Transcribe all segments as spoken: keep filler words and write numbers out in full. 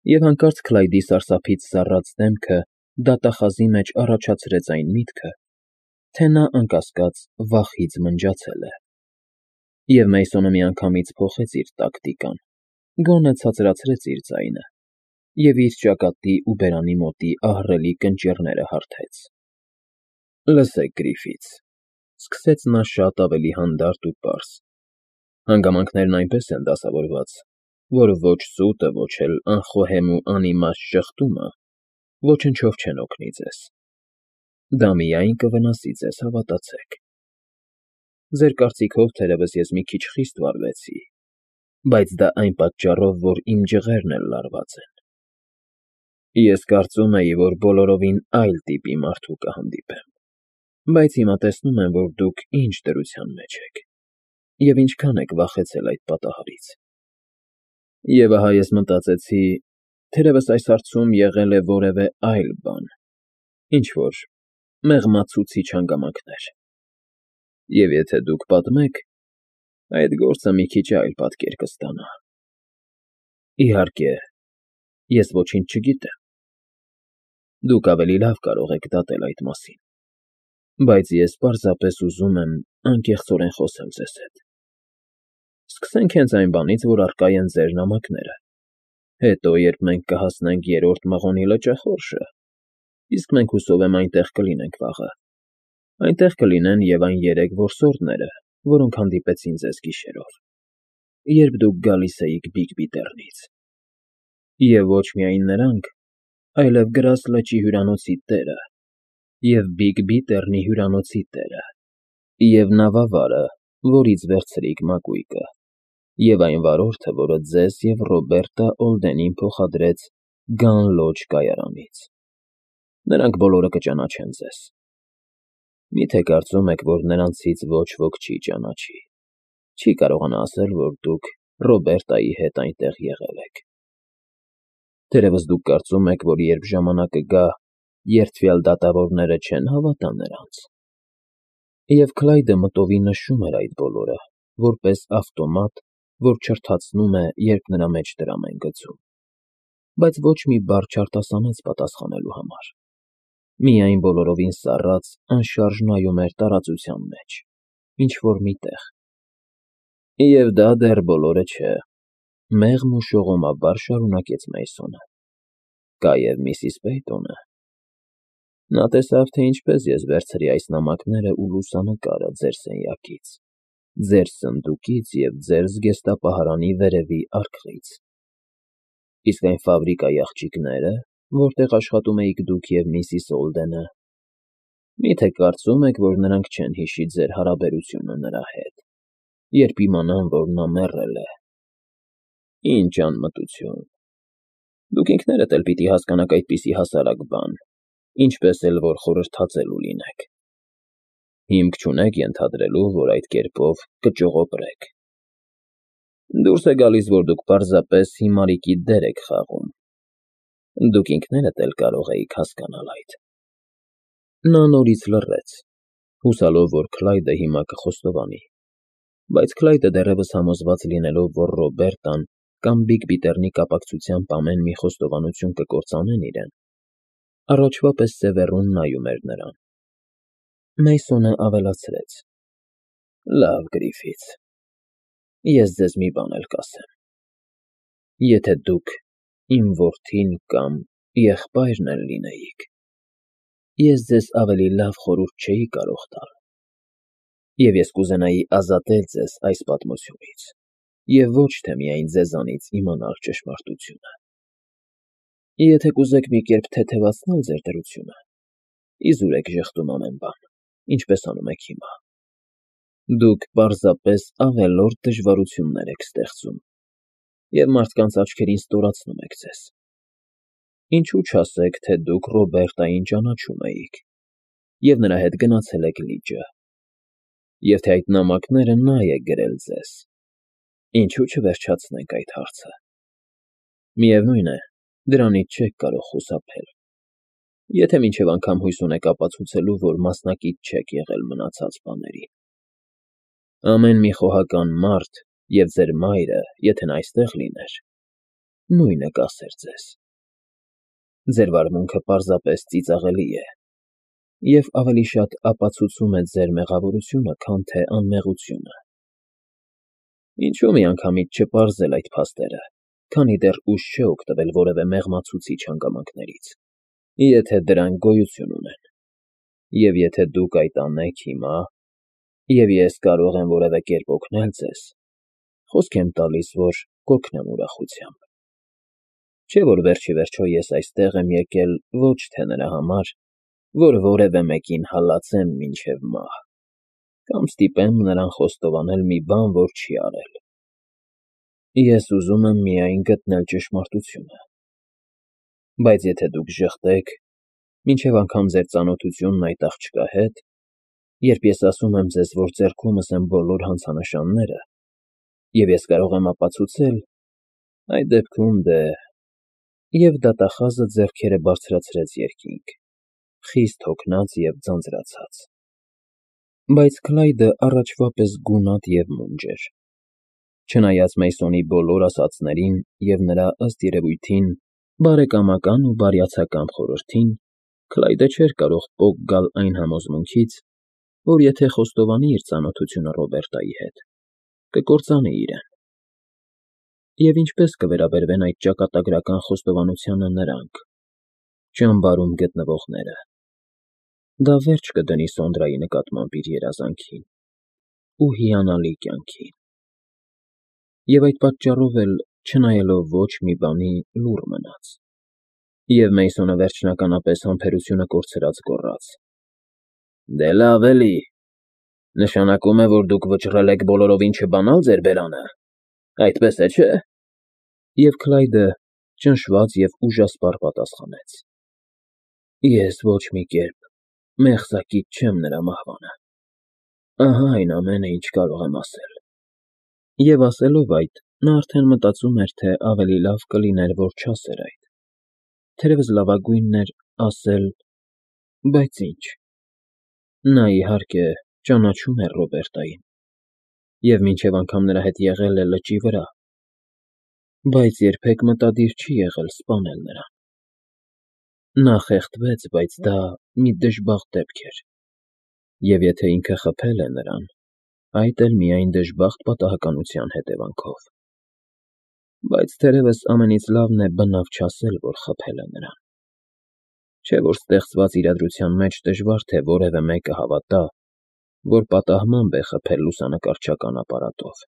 Եվ հանկարծ Քլայդի սարսափից սառած դեմքը դատախազի մեջ առաջացրեց այն միտքը, թե նա, անկասկած, վախից մնջացել է, և Մեյսոնը միանգամից փոխեց իր տակտիկան, գոնե ցածրացրեց իր ձայնը և իր ճակատի ու բերանի մոտի ահռելի կնճիռները հարթեց։ ֊ Լսեք, Գրիֆիթս,֊ սկսեց նա շատ ավելի հանդարտ ու պարզ,֊ հանգամանքներն այնպես են դասավորված, որ ոչ սուտը, ոչ էլ անխոհեմ ու անիմաստ ժխտումը ոչնչով չեն օգնի ձեզ. դա միայն կվնասի ձեզ, հավատացեք։ Ձեր կարծիքով, թերևս ես մի քիչ խիստ վարվեցի, բայց դա այն պատճառով, որ իմ ջղերն էլ լարված են։ Ես կարծում էի, որ բոլորովին այլ տիպի մարդու կհանդիպեմ, բայց հիմա տեսնում եմ, որ դուք ինչ դրության մեջ եք և ինչքան եք վախեցել այդ պատահարից։ Եվ ահա ես մտածեցի, թերևս այս հարցում եղել է որևէ այլ բան, ինչ֊որ մեղմացուցիչ հանգամանքներ, և եթե դուք պատմեք, այդ գործը մի քիչ այլ պատկեր կստանա։ Իհարկե, ես ոչինչ չգիտեմ, դուք ավելի լավ կարող եք դատել այդ մասին, բայց ես պարզապես ուզում եմ անկեղծորեն խոսել ձեզ հետ։ Սկսենք հենց այն բանից, որ առկա են ձեր նամակները, հետո, երբ մենք կհասնենք Երրորդ Մղոնի լճախորշը, իսկ մենք հուսով եմ այնտեղ կլինենք վաղը, այնտեղ կլինեն և այն երեք որսորդները, որոնք հանդիպեցին ձեզ գիշերով, երբ դուք գալիս էիք Բիգբի Տեռնից, և ոչ միայն նրանք, այլև Գրաս լճի հյուրանոցի տերը և Բիգբի Տեռնի հյուրանոցի տերը և նավավարը, որից վերցրիք մակույկը, և այն վարորդը, որը ձեզ և Ռոբերտա Օլդենին փոխադրեց Գան Լոջ կայարանից. նրանք բոլորը կճանաչեն ձեզ։ Մի՞թե կարծում եք, որ նրանցից ոչ ոք չի ճանաչի, չի կարողանա ասել, որ դուք Ռոբերտայի հետ այնտեղ եղել եք։ Թերևս դուք կարծում եք, որ երբ ժամանակը գա, երդվյալ դատավորները չեն հավատա նրանց։ Եվ Քլայդը մտովի նշում էր այդ բոլորը, որպես ավտոմատ, որ չրթացնում է, երբ նրա մեջ դրամ են գցում, բայց ոչ մի բառ չարտասանեց պատասխանելու համար, միայն բոլորովին սառած, անշարժ նայում էր տարածության մեջ, ինչ֊որ մի տեղ։ Եվ դա դեռ բոլորը չէ, մեղմ ու շողոմաբար շարունակեց Մեյսոնը. կա և միսիս Պեյտոնը։ Նա տեսավ, թե ինչպես ես վերցրի այս նամակներն ու լուսանկարը ձեր սենյակից, ձեր սնդուկից և ձեր զգեստապահարանի վերևի արկղից։ Իսկ այն ֆաբրիկայի աղջիկնե՞րը, որտեղ աշխատում էիք դուք և միսիս Օլդենը, մի՞թե կարծում եք, որ նրանք չեն հիշի ձեր հարաբերությունը նրա հետ, երբ իմանան, որ նա մեռել է։ Ինչ անմտություն։ Դուք ինքներդ էլ պիտի հասկանաք այդպիսի հասարակ բան, ինչպես էլ որ խորհրդածելու լինեք։ Հիմք չունեք ենթադրելու, որ այդ կերպով կճողոպրեք։ Դուրս է գալիս, որ դուք պարզապես հիմարիկի դեր եք խաղում։ Դուք ինքներդ էլ կարող էիք հասկանալ այդ։ Նա նորից լռեց, հուսալով, որ Քլայդը հիմա կխոստովանի, բայց Քլայդը դեռևս համոզված լինելով, որ Ռոբերտան կամ Բիգբի Տեռնի կապակցությամբ ամեն մի խոստովանություն կկործանեն իրեն, առաջվա պես սևեռուն նայում էր նրան։ Մեյսոնը ավելացրեց. լավ, Գրիֆիթս, ես ձեզ մի բան էլ կասեմ. եթե դուք իմ որդին կամ եղբայրն էլ լինեիք, ես ձեզ ավելի լավ խորհուրդ չէի կարող տալ, և ես կուզենայի ազատել ձեզ այս պատմությունից և ոչ թե միայն ձեզանից իմանալ ճշմարտությունը։ Եթե կուզեք մի կերպ թեթևացնել ձեր դրությունը, իզուր եք ժխտում ամեն բան, ինչպես անում եք հիմա։ Դուք պարզապես ավելորդ դժվարություններ եք ստեղծում և մարդկանց աչքերին ստորացնում եք ձեզ։ Ինչու չասեք, թե դուք Ռոբերտային ճանաչում էիք և նրա հետ գնացել եք լիճը, և թե այդ նամակները նա է գրել ձեզ, ինչու չվերջացնենք այդ հարցը։ Միևնույն է, դրանից չեք կարող խուսափել, եթե մինչև անգամ հույս ունեք ապացուցելու, որ մասնակից չեք եղել մնացած բաներին։ Ամեն մի խոհական մարդ և ձեր մայրը, եթե նա այստեղ լիներ, նույնը կասեր ձեզ։ Ձեր վարմունքը պարզապես ծիծաղելի է և ավելի շատ ապացուցում է ձեր մեղավորությունը, քան թե անմեղությունը։ Ինչո՞ւ միանգամից չպարզել այդ փաստերը, քանի դեռ ուշ չէ օգտվել որևէ մեղմացուցիչ հանգամանքներից, եթե դրանք գոյություն ունեն։ Եվ եթե դուք այդ անեք հիմա, և ես կարող եմ որևէ կերպ օգնել ձեզ, խոսք եմ տալիս, որ կօգնեմ ուրախությամբ։ Չէ՞ որ վերջիվերջո ես այստեղ եմ եկել ոչ թե նրա համար, որ որևէ մեկին հալածեմ մինչև մահ, կամ ստիպեմ նրան խոստովանել մի բան, որ չի արել։ Ես ուզում եմ միայն գտնել ճշմարտությունը։ Բայց եթե դուք ժխտեք, մինչև անգամ ձեր ծանոթությունն այդ աղջկա հետ, երբ ես ասում եմ ձեզ, որ ձեռքումս եմ բոլոր հանցանշանները, և ես կարող եմ ապացուցել, այդ դեպքում դե… Եվ դատախազը ձեռքերը բարձրացրեց երկինք, խիստ հոգնած և ձանձրացած։ Բայց Քլայդը առաջվա պես գունատ և մունջ էր։ Չնայած Մեյսոնի բոլոր ասածներին և նրա, ըստ երևույթին, բարեկամական ու բարյացակամ խորհրդին, Քլայդը չէր կարող պոկ գալ այն համոզմունքից, որ եթե խոստովանի իր ծանոթությունը Ռոբերտայի հետ, կկործանի իրեն։ Եվ ինչպե՞ս կվերաբերվեն այդ ճակատագրական խոստովանությանը նրանք՝ ճամբարում գտնվողները։ Դա վերջ կդնի Սոնդրայի նկատմամբ իր երազանքին ու հիանալի կյանքին։ Եվ այդ պատճառով էլ, չնայելով ոչ մի բանի, լուռ մնաց։ Եվ Մեյսոնը վերջնականապես համբերությունը կորցրած գոռաց. Դե լավ էլի, նշանակում է, որ դուք վճռել եք բոլորովին չբանալ ձեր բերանը, այդպես է, չէ՞։ Եվ Քլայդը ճնշված և ուժասպառ պատասխանեց. Ես ոչ մի կերպ մեղսակից չեմ նրա մահվանը։ Ահա այն ամենը, ինչ կարող եմ ասել։ Եվ ասելով այդ, նա արդեն մտածում էր, թե ավելի լավ կլիներ, որ չասեր այդ։ Թերևս լավագույնն էր ասել… Բայց ի՞նչ։ Նա, իհարկե, ճանաչում էր Ռոբերտային և մինչև անգամ նրա հետ եղել է լճի վրա, բայց երբեք մտադիր չի եղել սպանել նրան։ Նա խեղդվեց, բայց դա մի դժբախտ դեպք էր, և եթե ինքը խփել է նրան, այդ էլ միայն դժբախտ պատահականության հետևանքով։ Բայց թերևս ամենից լավն է բնավ չասել, որ խփել է նրան։ Չէ՞ որ ստեղծված իրադրության մեջ դժվար թե որևէ մեկը հավատա, որ պատահմամբ է խփել լուսանկարչական ապարատով։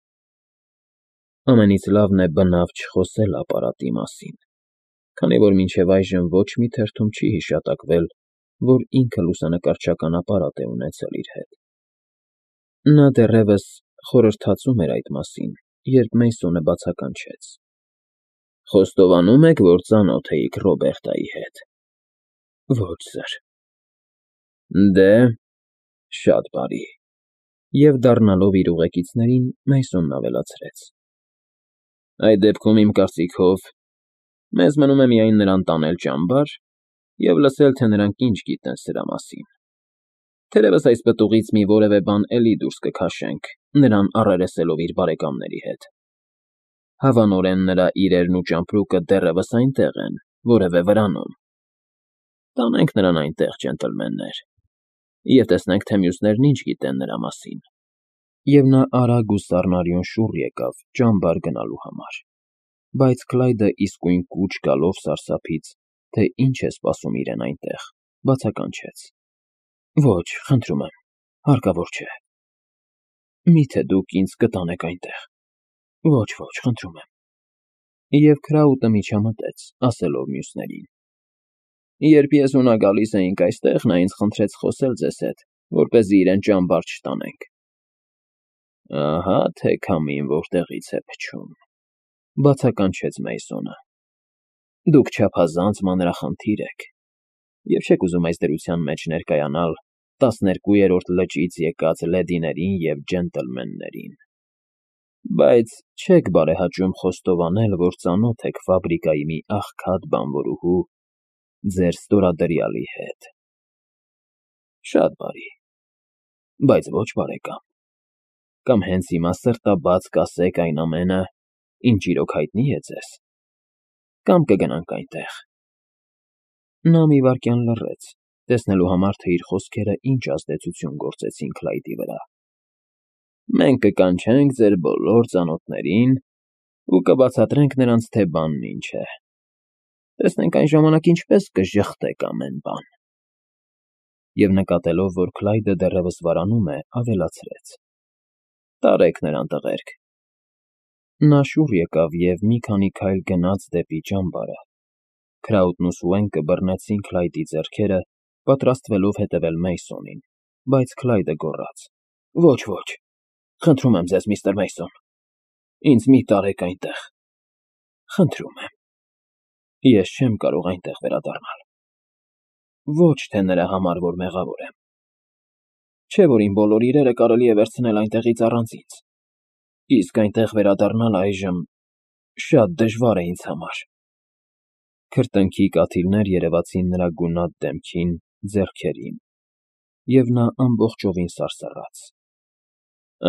Ամենից լավն է բնավ չխոսել ապարատի մասին, քանի որ մինչև այժմ ոչ մի թերթում չի հիշատակվել, որ ինքը լուսանկարչական ապարատ է ունեցել իր հետ։ Նա դեռևս խորհրդածում էր այդ մասին, երբ Մեյսոնը բացականչեց. Խոստովանո՞ւմ եք, որ ծանոթ էիք Ռոբերտայի հետ։ Ոչ, սըր։ Դե… շատ բարի։ Եվ դառնալով իր ուղեկիցներին, Մեյսոնն ավելացրեց. Այդ դեպքում, իմ կարծիքով, մեզ մնում է միայն նրան տանել ճամբար և լսել, թե նրանք ինչ գիտեն սրա մասին։ Թերևս այս պտուղից մի որևէ բան էլի դուրս կքաշենք, նրան առերեսելով իր բարեկամների հետ։ Հավանորեն նրա իրերն ու ճամպրուկը դեռևս այնտեղ են, որևէ վրանում։ Տանենք նրան այնտեղ, ջենտլմեններ, և տեսնենք, թե մյուսներն ինչ գիտեն նրա մասին։ Եվ նա արագ ու սառնարյուն շուռ եկավ ճամբար գնալու համար։ Բայց Քլայդը իսկույն կուչ գալով սարսափից, թե ինչ է սպասում իրեն այնտեղ, բացականչեց. Ոչ, խնդրում եմ, հարկավոր չէ։ Մի՞թե դուք ինձ կտանեք այնտեղ։ Ոչ, ոչ, խնդրում եմ։ Եվ քրաուտը միջամտեց, ասելով մյուսներին. Երբ ես ու նա գալիս էինք այստեղ, նա ինձ խնդրեց խոսել ձեզ հետ, որպեսզի իրեն ճամբար չտանենք։ Ահա թե քամին որտեղից է փչում, բացականչեց Մեյսոնը։ Դուք չափազանց մանրախնդիր եք և չեք ուզում այս դրության մեջ ներկայանալ տասներկուերորդ լճից եկած լեդիներին և ջենտլմեններին, բայց չեք բարեհաճում խոստովանել, որ ծանոթ եք ֆաբրիկայի մի աղքատ բանվորուհու, ձեր ստորադրյալի հետ։ Շատ բարի, բայց ոչ բարեկամ։ Կամ հենց հիմա սրտաբաց կասեք այն ամենը, ինչ իրոք հայտնի է ձեզ։ կամ կգնանք այնտեղ։ Նա մի վայրկյան լռեց, տեսնելու համար, թե իր խոսքերը ինչ ազդեցություն գործեցին Քլայդի վրա։ Մենք կկանչենք ձեր բոլոր ծանոթներին ու կբացատրենք նրանց, թե բանն ինչ է։ Տեսնենք այն ժամանակ ինչպես կժխտեք ամեն բան։ Եվ նկատելով, որ Քլայդը դեռևս վարանում է, ավելացրեց. Տարեք նրան տղերք։ Նա շուռ եկավ և մի քանի քայլ գնաց դեպի ճամբարը։ Քրաուտն ու Սուենկը բռնեցին Քլայդի ձեռքերը, պատրաստվելով հետևել Մեյսոնին, բայց Քլայդը գոռաց. Ոչ, ոչ, խնդրում եմ ձեզ, միստր Մեյսոն, ինձ մի տարեք այնտեղ, խնդրում եմ, ես չեմ կարող այնտեղ վերադառնալ։ Ոչ թե նրա համար, որ մեղավոր եմ, չէ՞ որ իմ բոլոր իրերը կարելի է վերցնել այնտեղից առանց ինձ, իսկ այնտեղ վերադառնալ այժմ շատ դժվար է ինձ համար։ Քրտինքի կաթիլներ երևացին նրա գունատ դեմքին, ձեռքերին, և նա ամբողջովին սարսռաց։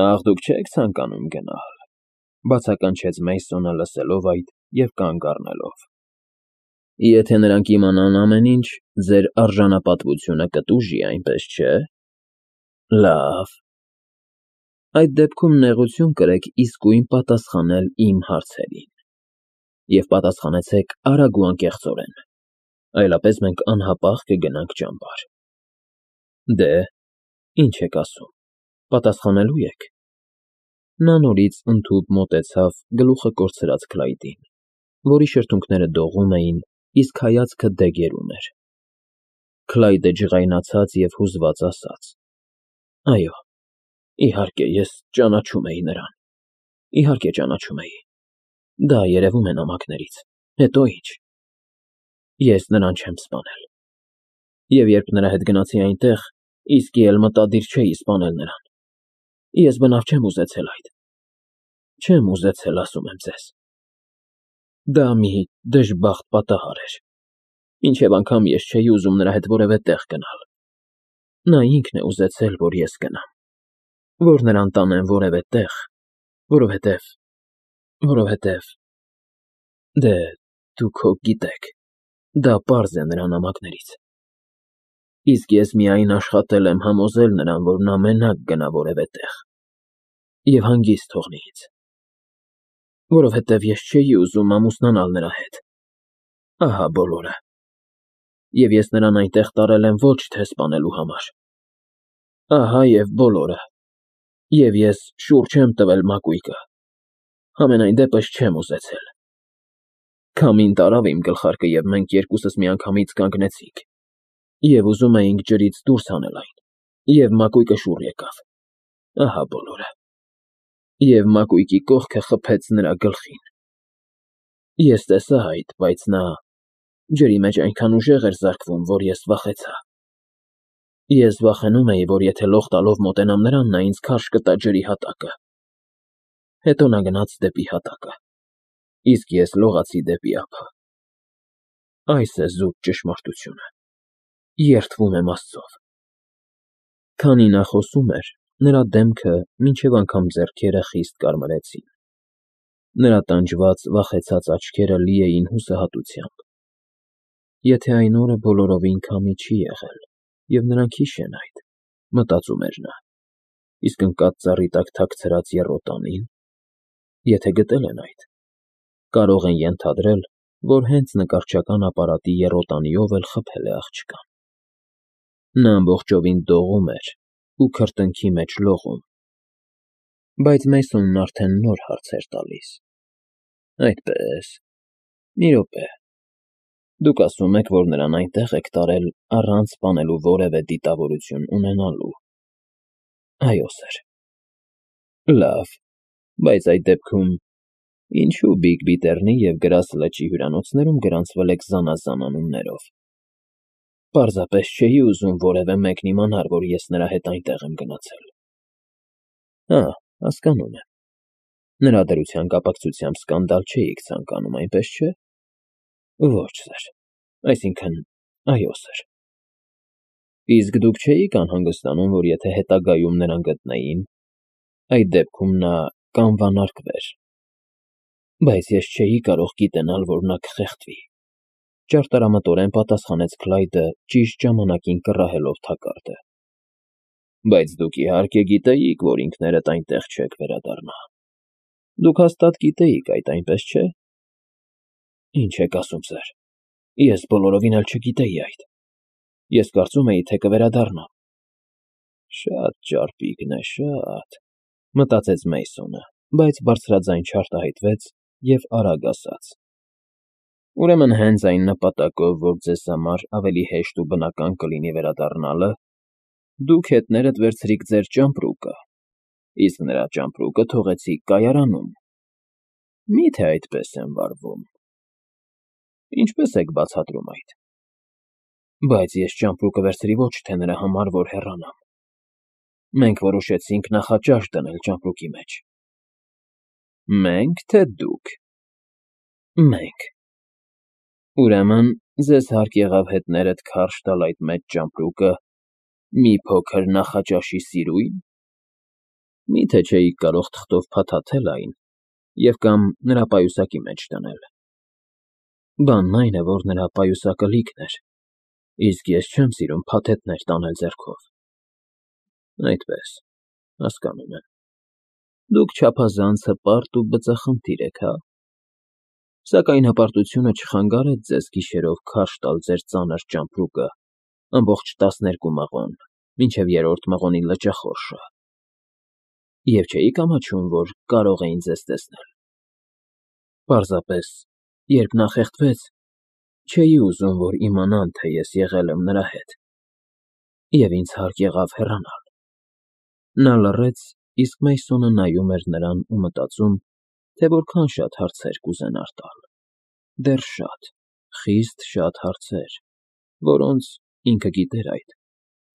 Ախ, դուք չեք ցանկանում գնալ, բացականչեց Մեյսոնը, լսելով այդ և կանգ առնելով։ Եթե նրանք իմանան ամեն ինչ, ձեր արժանապատվությունը կտուժի, այնպես չէ՞։ Լավ։ Այդ դեպքում նեղություն կրեք իսկույն պատասխանել իմ հարցերին։ Եվ պատասխանեցեք արագ ու անկեղծորեն, այլապես մենք անհապաղ կգնանք ճամբար։ Դե, ինչ եք ասում, պատասխանելո՞ւ եք։ Նա նորից ընդհուպ մոտեցավ գլուխը կորցրած Քլայդին, որի շրթունքները դողում էին, իսկ հայացքը դեգերում էր։ Քլայդը ջղայնացած և հուզված ասաց. Այո, իհարկե, ես ճանաչում էի նրան, իհարկե ճանաչում էի, դա երևում է նամակներից, հետո ինչ։ Ես նրան չեմ սպանել։ Եվ երբ նրա հետ գնացի այնտեղ, իսկի էլ մտադիր չէի սպանել նրան։ Ես բնավ չեմ ուզեցել այդ։ Չեմ ուզեցել, ասում եմ ձեզ։ Դա մի դժբախտ պատահար էր, մինչև անգամ ես չէի ուզում նրա հետ որևէ տեղ գնալ։ Նա ինքն է ուզեցել, որ ես գնամ, որ նրան տանեմ որևէ տեղ, որովհետև… որովհետև… Դե, դուք հո գիտեք, դա պարզ է նրա նամակներից։ Իսկ ես միայն աշխատել եմ համոզել նրան, որ նա մենակ գնա որևէ տեղ և հանգիստ թողնի ինձ, որովհետև ես չէի ուզում ամուսնանալ նրա հետ։ Ահա բոլորը։ Եվ ես նրան այնտեղ տարել եմ ոչ թե սպանելու համար։ Ահա և բոլորը։ Եվ ես շուռ չեմ տվել մակույկը, համենայն դեպս չեմ ուզեցել։ Քամին տարավ իմ գլխարկը, և մենք երկուսս միանգամից կանգնեցինք, և ուզում էինք ջրից դուրս հանել այն, և մակույկը շուռ եկավ։ Ահա բոլորը։ Եվ մակույկի կողքը խփեց նրա գլխին։ Ես տեսա այդ, բայց նա ջրի մեջ այնքան ուժեղ էր զարկվում, որ ես վախեցա։ Ես վախենում էի, որ եթե լող տալով մոտենամ նրան, նա ինձ քարշ կտա ջրի հատակը։ Հետո նա գնաց դեպի հատակը, իսկ ես լողացի դեպի ափը։ Այս է զուտ ճշմարտությունը։ Երդվում եմ Աստծով։ Քանի նա խոսում էր, նրա դեմքը, մինչև անգամ ձեռքերը խիստ կարմրեցին։ Նրա տանջված, վախեցած աչքերը լի էին հուսահատությամբ։ Եթե այն օրը բոլորովին քամի չի եղել, և նրանք հիշեն այդ, մտածում էր նա, իսկ ընկած ծառի տակ թաքցրած եռոտանի՞ն, եթե գտել են այդ, կարող են ենթադրել, որ հենց նկարչական ապարատի եռոտանիով էլ խփել է աղջկան։ Նա ամբողջովին դողում էր ու քրտինքի մեջ լողում։ Բայց Մեյսոնն արդեն նոր հարց էր տալիս. Այդպե՞ս, մի րոպե, դուք ասում եք, որ նրան այնտեղ եք տարել առանց սպանելու որևէ դիտավորություն ունենալու։ Այո, սըր։ Լավ, բայց այդ դեպքում ինչու Բիգ-Բիթեռնի և Գրաս լճի հյուրանոցներում գրանցվել եք զանազան անուններով։ Պարզապես չէի ուզում որևէ մեկն իմանար, որ ես նրա հետ այնտեղ եմ գնացել։ Հա, հասկանում եմ։ Նրա դրության կապակցությամբ սկանդալ չէիք ցանկանում, այնպես չէ։ Ոչ, սըր, այսինքն՝ այո, սըր։ Իսկ դուք չէիք անհանգստանում, որ եթե հետագայում նրան գտնեին, այդ դեպքում նա կանվանարկվեր։ Բայց ես չէի կարող գիտենալ, որ նա կխեղդվի,֊ ճարտարամտորեն պատասխանեց Քլայդը, ճիշտ ժամանակին կռահելով թակարդը։ Բայց դուք իհարկե գիտեիք, որ ինքներդ այնտեղ չեք վերադառնա։ Դուք հաստատ գիտեիք այդ, այնպես չէ՞։ Ինչ եք ասում, սըր, ես բոլորովին էլ չգիտեի այդ։ Ես կարծում էի, թե կվերադառնամ։ Շատ ճարպիկն է, շատ,֊ մտածեց Մեյսոնը, բայց բարձրաձայն չարտահայտվեց և արագ ասաց. Ուրեմն հենց այն նպատակով, որ ձեզ համար ավելի հեշտ ու բնական կլինի վերադառնալը, դուք հետներդ վերցրիք ձեր ճամպրուկը, իսկ նրա ճամպրուկը թողեցիք կայարանում։ Մի՞թե այդպես եմ վարվում։ Ինչպե՞ս եք բացատրում այդ։ Բայց ես ճամպրուկը վերցրի ոչ թե նրա համար, որ հեռանամ։ Մենք որոշեցինք նախաճաշ դնել ճամպրուկի մեջ։ Մենք, թե դուք։ Մենք։ Ուրեմն ձեզ հարկ եղավ հետներդ քարշ տալ այդ մեծ ճամպրուկը մի փոքր նախաճաշի սիրույն։ Մի՞թե չէիք կարող թղթով փաթաթել այն և կամ նրա պայուսակի մեջ դնել։ Բանն այն է, որ նրա պայուսակը լիքն էր, իսկ ես չեմ սիրում փաթեթներ տանել ձեռքով։ Այդպես, հասկանում եմ։ Դուք չափազանց հպարտ ու բծախնդիր եք, հա։ Սակայն հպարտությունը չխանգարեց ձեզ գիշերով քարշ տալ ձեր ծանր ճամպրուկը ամբողջ տասներկու մղոն, մինչև երրորդ մղոնի լճախորշը։ Եվ չէիք ամաչում, որ կարող էին ձեզ տեսնել։ Պարզապես, երբ նա խեղդվեց, չէի ուզում, որ իմանան, թե ես եղել եմ նրա հետ, և ինձ հարկ եղավ հեռանալ։ Նա լռեց, իսկ Մեյսոնը նայում էր նրան ու մտածում, թե որքան շատ հարցեր կուզենար տալ։ Դեռ շատ, խիստ շատ հարցեր, որոնց, ինքը գիտեր այդ,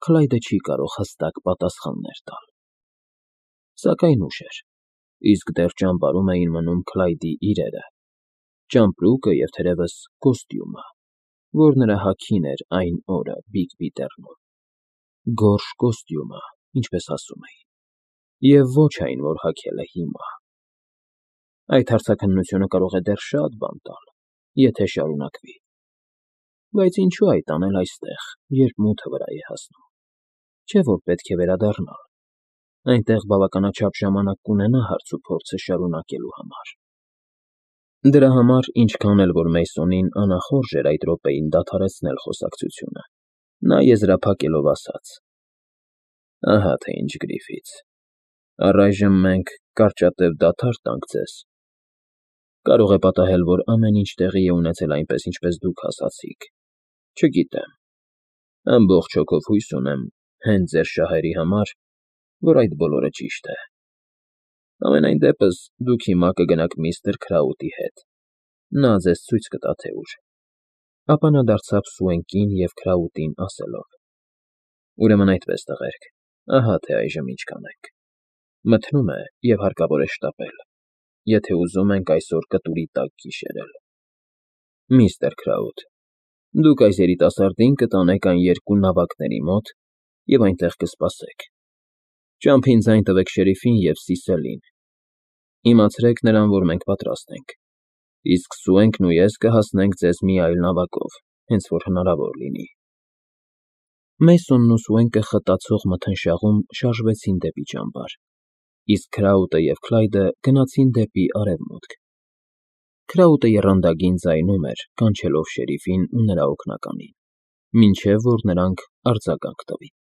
Քլայդը չի կարող հստակ պատասխաններ տալ։ Սակայն ուշ էր, իսկ դեռ ճամբարում էին մնում Քլայդի իրերը, ճամպրուկը և թերևս կոստյումը, որ նրա հագին էր այն օրը Բիգ Բիթեռնում։ Գորշ կոստյումը, ինչպես ասում էին, և ոչ այն, որ հագել է հիմա։ Այդ հարցաքննությունը կարող է դեռ շատ բան տալ, եթե շարունակվի։ Բայց ինչու այդ անել այստեղ, երբ մութը վրա է հասնում։ Չէ՞ որ պետք է վերադառնալ։ Այնտեղ բավականաչափ ժամանակ կունենա հարցուփորձը շարունակելու համար։ Դրա համար, ինչքան էլ որ Մեյսոնին անախորժ էր այդ րոպեին դադարեցնել խոսակցությունը, նա եզրափակելով ասաց. Ահա թե ինչ, Գրիֆիթս, առայժմ մենք կարճատև դադար տանք ձեզ։ Կարող է պատահել, որ ամեն ինչ տեղի է ունեցել այնպես, ինչպես դուք ասացիք։ Չգիտեմ։ Ամբողջ հոգով հույս ունեմ, հենց ձեր շահերի համար, որ այդ բոլորը ճիշտ է։ Համենայն դեպս, դուք հիմա կգնաք միստր Քրաուտի հետ, նա ձեզ ցույց կտա, թե ուր։ Ապա նա դարձավ Սուենկին և Քրաուտին, ասելով. Ուրեմն այդպես, տղերք, ահա թե այժմ ինչ կանենք։ Մթնում է և հարկավոր է շտապել, եթե ուզում ենք այսօր կտուրի տակ գիշերել։ Միստր Քրաուտ, դուք այս երիտասարդին կտանեք այն երկու նավակների մոտ և այնտեղ կսպասեք։ Ճամփին ձայն տվեք շերիֆին և Սիսելին։ Իմացրեք նրան, որ մենք պատրաստ ենք, իսկ Սուենկն ու ես կհասնենք ձեզ մի այլ նավակով, հենց որ հնարավոր լինի։ Մեյսոնն ու Սուենկը խտացող մթնշաղում շարժվեցին դեպի ճամբար, իսկ Քրաուտը և Քլայդը գնացին դեպի արևմուտք։ Քրաուտը եռանդագին ձայնում էր, կանչելով շերիֆին ու նրա օգնականին, մինչև որ նրանք արձագանք տվին։